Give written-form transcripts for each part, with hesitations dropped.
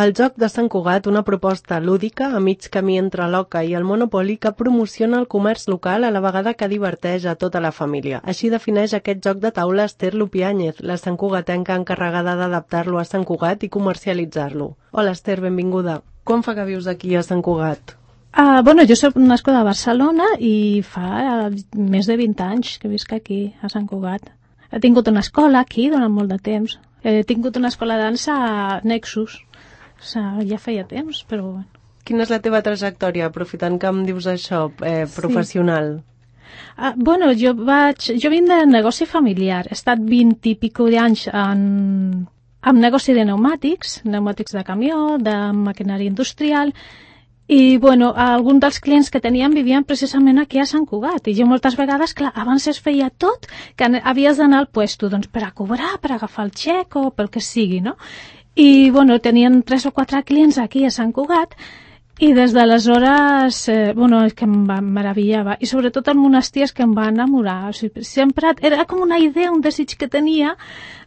El joc de Sant Cugat, una proposta lúdica a mig camí entre l'oca i el Monopoly que promociona el comerç local a la vegada que diverteix a tota la família. Així defineix aquest joc de taula Esther Lupiáñez, la santcugatenca encarregada d'adaptar-lo a Sant Cugat i comercialitzar-lo. Hola Esther, benvinguda. Quan fa que vius aquí a Sant Cugat? Jo soc nascuda a Barcelona i fa més de 20 anys que visc aquí, a Sant Cugat. He tingut una escola aquí durant molt de temps. He tingut una escola de dansa a Nexus. O sigui, ja feia temps, però bueno. Quina és la teva trajectòria, aprofitant que em dius això, professional? Jo vinc de negoci familiar. He estat 20 i pico d'anys en negoci de pneumàtics de camió, de maquinària industrial, i, alguns dels clients que teníem vivien precisament aquí a Sant Cugat. I jo moltes vegades, clar, abans es feia tot, que havies d'anar al puesto, doncs, per a cobrar, per agafar el xec o pel que sigui, no? I, tenien 3 o 4 clients aquí a Sant Cugat, i des d'aleshores, és que em meravellava. I sobretot el monestir és que em va enamorar. O sigui, sempre era com una idea, un desig que tenia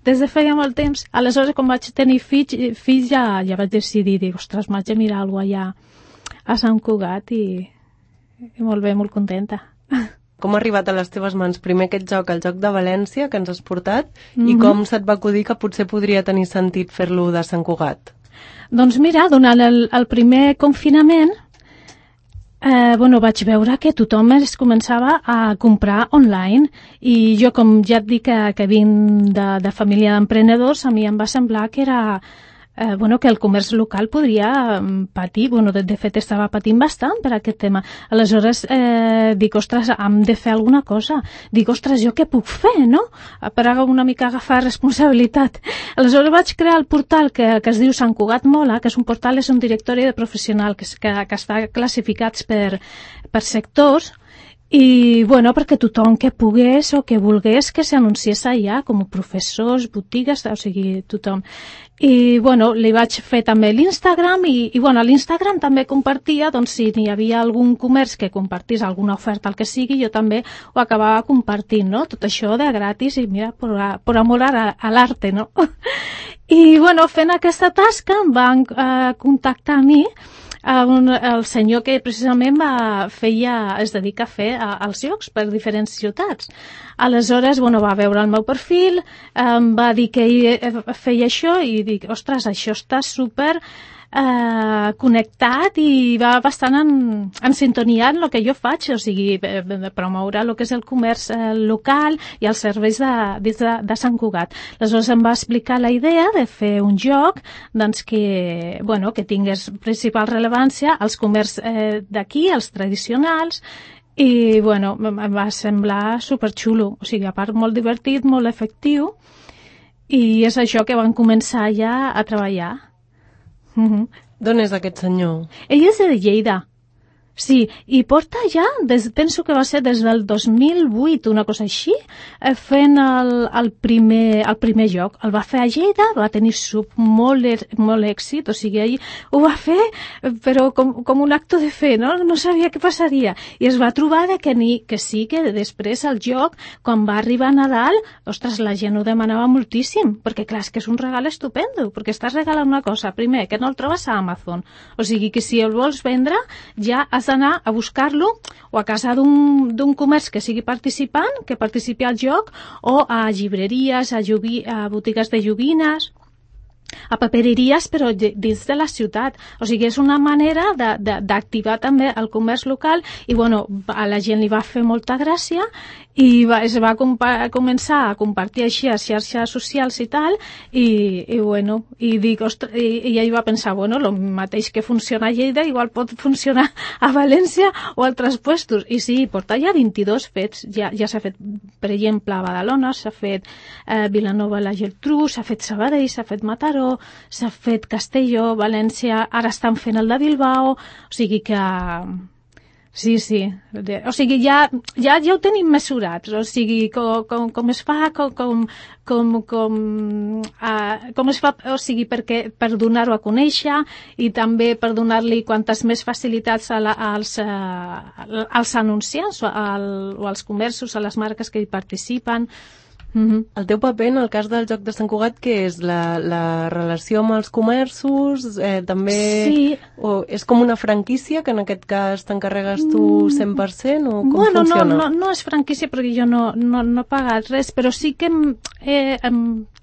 des de feia molt temps. Aleshores, quan vaig tenir fills ja vaig decidir, ostres, m'haig de mirar alguna cosa allà a Sant Cugat i molt bé, molt contenta. Com ha arribat a les teves mans primer aquest joc, el joc de València que ens has portat, i com se't va acudir que potser podria tenir sentit fer-lo de Sant Cugat? Doncs mira, durant el primer confinament vaig veure que tothom es començava a comprar online i jo, com ja et dic que vinc de família d'emprenedors, a mi em va semblar que era que el comerç local podria patir, de fet estava patint bastant per aquest tema. Aleshores dic, ostres, hem de fer alguna cosa. Dic, ostres, jo què puc fer, no? Per una mica agafar responsabilitat. Aleshores vaig crear el portal que es diu Sant Cugat Mola, que és un portal, és un directori de professional que està classificats per sectors, i, perquè tothom que pogués o que volgués que s'anunciés allà, com professors, botigues, o sigui, tothom. I, li vaig fer també l'Instagram i a l'Instagram també compartia, doncs, si hi havia algun comerç que compartís alguna oferta, el que sigui, jo també ho acabava compartint, no? Tot això de gratis i, mira, por amor a l'arte, no? I, fent aquesta tasca em van contactar a mi el senyor que precisament es dedica a fer els jocs per diferents ciutats. Aleshores, va veure el meu perfil, em va dir que ell feia això i dic, ostres, això està super connectat i va bastant en sintonia amb el que jo faig, o sigui, promoure el que és el comerç local i els serveis de Sant Cugat. Aleshores em va explicar la idea de fer un joc doncs, que tingués principal rellevància als comerç d'aquí, als tradicionals, i em va semblar superxulo, o sigui, a part molt divertit, molt efectiu, i és això que van començar ja a treballar. D'on és aquest senyor? Ell és de Lleida. Sí, i porta ja, penso que va ser des del 2008, una cosa així, fent el primer joc. El va fer a Lleida, va tenir molt èxit, o sigui, ell ho va fer, però com un acte de fe, no? No sabia què passaria. I es va trobar que sí, que després el joc, quan va arribar a Nadal, ostres, la gent ho demanava moltíssim, perquè clar, és que és un regal estupendo, perquè estàs regalant una cosa, primer, que no el trobes a Amazon, o sigui que si el vols vendre, ja has d'anar a buscar-lo o a casa d'un comerç que sigui participant, que participi al joc, o a llibreries, a botigues de joguines, a papereries, però dins de la ciutat. O sigui, és una manera d'activar també el comerç local i, a la gent li va fer molta gràcia i es va començar a compartir així a xarxes socials i tal, i dic, ostres, i ell va pensar, el mateix que funciona a Lleida igual pot funcionar a València o a altres puestos, i sí, porta ja 22 fets, ja s'ha fet, per exemple, a Badalona, s'ha fet Vilanova i la Geltrú, s'ha fet Sabadell, s'ha fet Mataró, s'ha fet Castelló, València, ara estan fent el de Bilbao, o sigui que Sí, sí. O sigui, ja ho tenim mesurat. O sigui, com es fa, com es fa, o sigui, per donar-ho a conèixer i també per donar-li quantes més facilitats als anunciants o als comerços, a les marques que hi participen. El teu paper en el cas del joc de Sant Cugat, què és? La relació amb els comerços? També Sí. O és com una franquícia, que en aquest cas t'encarregues tu 100%? O com funciona? No és franquícia perquè jo no he pagat res, però sí que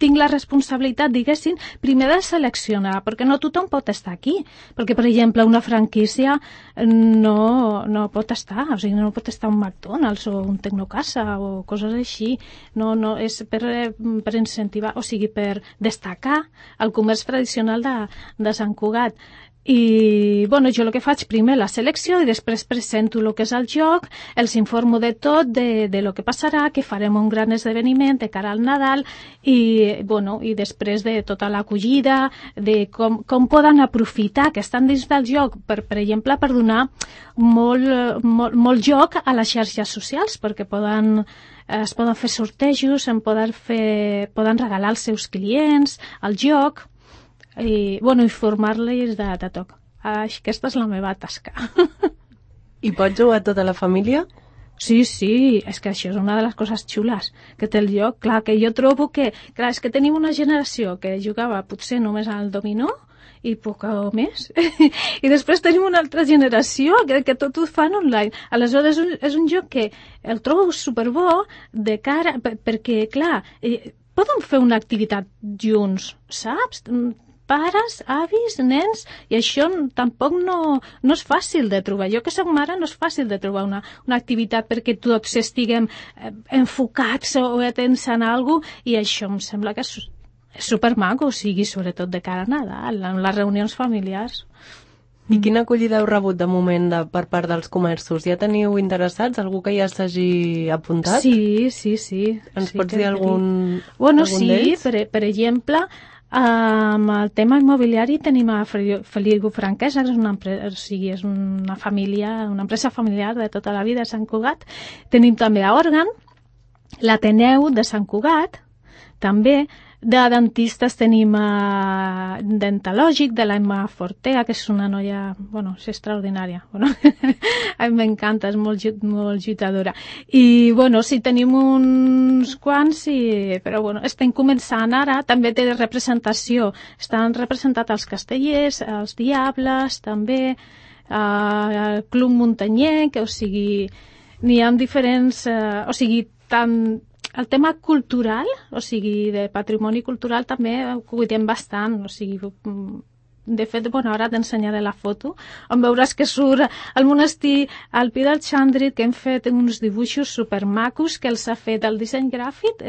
tinc la responsabilitat, diguéssim, primer de seleccionar, perquè no tothom pot estar aquí. Perquè, per exemple, una franquícia no pot estar, o sigui, no pot estar un McDonald's o un Tecnocasa o coses així. No, és per incentivar, o sigui, per destacar el comerç tradicional de Sant Cugat. I, bueno, jo el que faig primer la selecció i després presento el que és el joc, els informo de tot, de lo que passarà, que farem un gran esdeveniment de cara al Nadal i, bueno, i després de tota l'acollida, de com poden aprofitar que estan dins del joc, per exemple, per donar molt joc a les xarxes socials, perquè es poden fer sortejos, poden regalar als seus clients el joc, i, bueno, informar-los de tot. Aquesta és la meva tasca. I pots jugar tota la família? Sí, és que això és una de les coses xules que té el joc. Clar, que jo trobo que, clar, és que tenim una generació que jugava potser només al dominó i poc més. I després tenim una altra generació que tot ho fan online. Aleshores és un joc que el trobo superbo de cara, perquè, clar, poden fer una activitat junts, saps? Pares, avis, nens, i això tampoc no és fàcil de trobar. Jo que soc mare no és fàcil de trobar una activitat perquè tots estiguem enfocats o atents a alguna cosa, i això em sembla que és supermaco, o sigui, sobretot de cara a Nadal, en les reunions familiars. I quina acollida heu rebut de moment per part dels comerços? Ja teniu interessats? Algú que ja s'hagi apuntat? Sí. Ens pots dir algun Bueno, algun sí, d'ells? per exemple, amb el tema immobiliari tenim a Feliu Franquesa, que és una família, una empresa familiar de tota la vida a Sant Cugat. Tenim també a Òrgan, l'Ateneu de Sant Cugat, també. De dentistes tenim a Dentalògic, de l'Emma Fortea, que és una noia, bueno, és extraordinària. Bueno, a mi m'encanta, és molt lluitadora. I, bueno, sí, tenim uns quants, però, bueno, estem començant ara. També té representació. Estan representats els castellers, els diables, també el Club Muntanyenc, o sigui, n'hi ha diferents, o sigui, tant el tema cultural, o sigui, de patrimoni cultural també ho cuidem bastant, o sigui, de fet, bueno, ara t'ensenyaré la foto, on veuràs que surt el monestir al Pi del Xandrit, que hem fet uns dibuixos supermacos que els ha fet el disseny gràfic,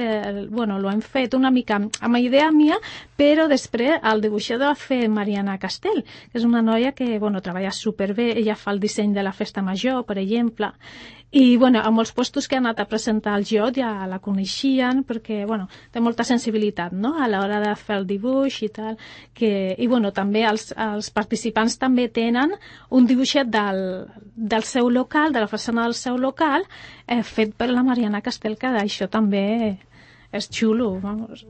bueno, l'ho hem fet una mica amb idea mia, però després el dibuixador ha fet Mariana Castell, que és una noia que, bueno, treballa superbé, ella fa el disseny de la festa major, per exemple, i, bueno, a molts puestos que ha anat a presentar el joc ja la coneixien perquè, bueno, té molta sensibilitat, no?, a l'hora de fer el dibuix i tal, i, bueno, també els participants també tenen un dibuixet del seu local, de la façana del seu local, fet per la Mariana Castell, que això també és xulo, vamos.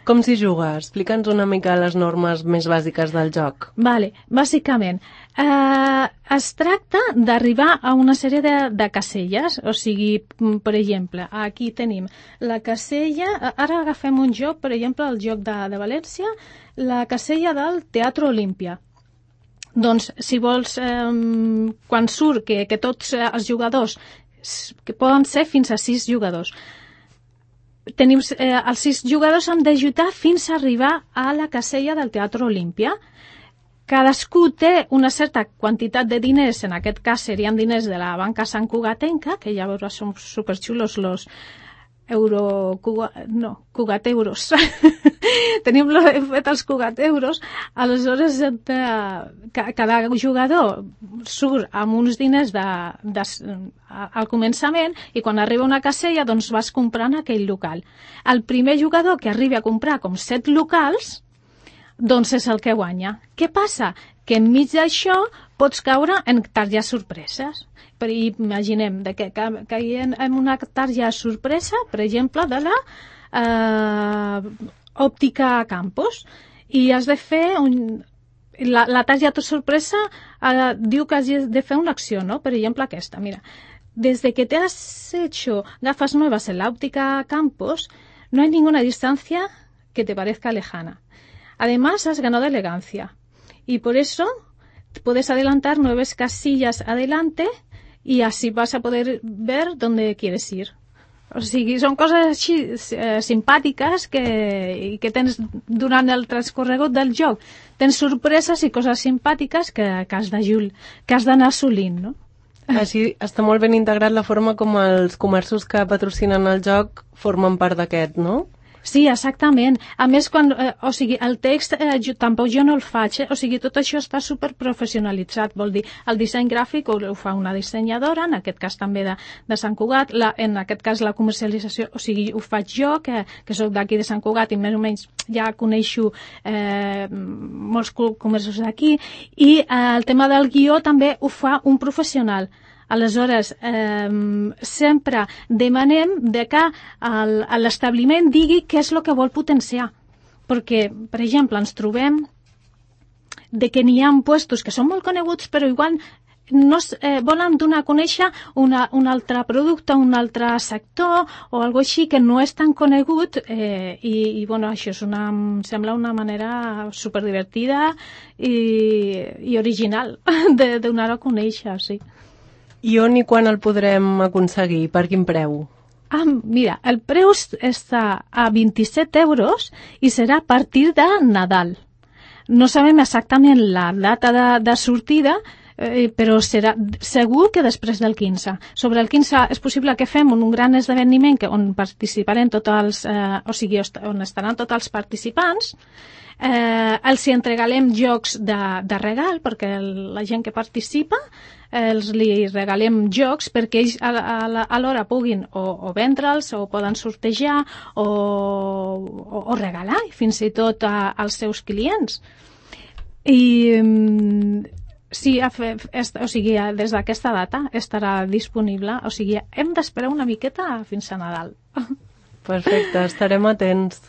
Com s'hi juga? Explica'ns una mica les normes més bàsiques del joc. Vale, bàsicament, es tracta d'arribar a una sèrie de caselles, o sigui, per exemple, aquí tenim la casella, ara agafem un joc, per exemple, el joc de València, la casella del Teatre Olímpia. Doncs, si vols, quan surt que tots els jugadors, que poden ser fins a 6 jugadors, tenim els 6 jugadors han de lluitar fins a arribar a la casella del Teatre Olímpia. Cadascú té una certa quantitat de diners, en aquest cas serien diners de la banca santcugatenca, que ja veuràs són superxulos los cugateuros. Tenim fet els cugateuros, aleshores cada jugador surt amb uns diners al començament i quan arriba a una casella doncs vas comprant aquell local. El primer jugador que arribi a comprar com 7 locals doncs és el que guanya. Què passa? Que enmig d'això pots caure en targetes sorpreses. Imaginem que caiem en una targeta sorpresa, per exemple, de la Òptica Campos, i has de fer la targeta sorpresa diu que has de fer una acció, no? Per exemple, aquesta, mira. desde que te has hecho gafas nuevas en la óptica Campos, no hay ninguna distancia que te parezca lejana. Además, has ganado elegancia y por eso puedes adelantar 9 casillas adelante y así vas a poder ver dónde quieres ir. O sigui, són coses així simpàtiques que tens durant el transcorregut del joc. Tens sorpreses i coses simpàtiques que has d'anar assolint, no? Així està molt ben integrat la forma com els comerços que patrocinen el joc formen part d'aquest, no? Sí, exactament. A més, el text tampoc jo no el faig, o sigui, tot això està superprofessionalitzat, vol dir, el disseny gràfic ho fa una dissenyadora, en aquest cas també de Sant Cugat, en aquest cas la comercialització, o sigui, ho faig jo, que soc d'aquí de Sant Cugat i més o menys ja coneixo molts comerços d'aquí, i el tema del guió també ho fa un professional. Aleshores, sempre demanem que l'establiment digui què és el que vol potenciar. Perquè, per exemple, ens trobem que n'hi ha puestos que són molt coneguts, però igual no volen donar a conèixer un altre producte, un altre sector o alguna així que no és tan conegut i bueno, això em sembla una manera superdivertida i original de donar a conèixer, sí. I on i quan el podrem aconseguir? Per quin preu? Mira, el preu està a 27 euros i serà a partir de Nadal. No sabem exactament la data de sortida, però serà segur que després del 15. Sobre el 15 és possible que fem un gran esdeveniment on participarem on estaran tots els participants. Els entregarem jocs de regal perquè la gent que participa li regalem jocs perquè ells alhora puguin o vendre'ls o poden sortejar o regalar fins i tot als seus clients. I sí, des d'aquesta data estarà disponible, o sigui, hem d'esperar una miqueta fins a Nadal. Perfecte, estarem atents.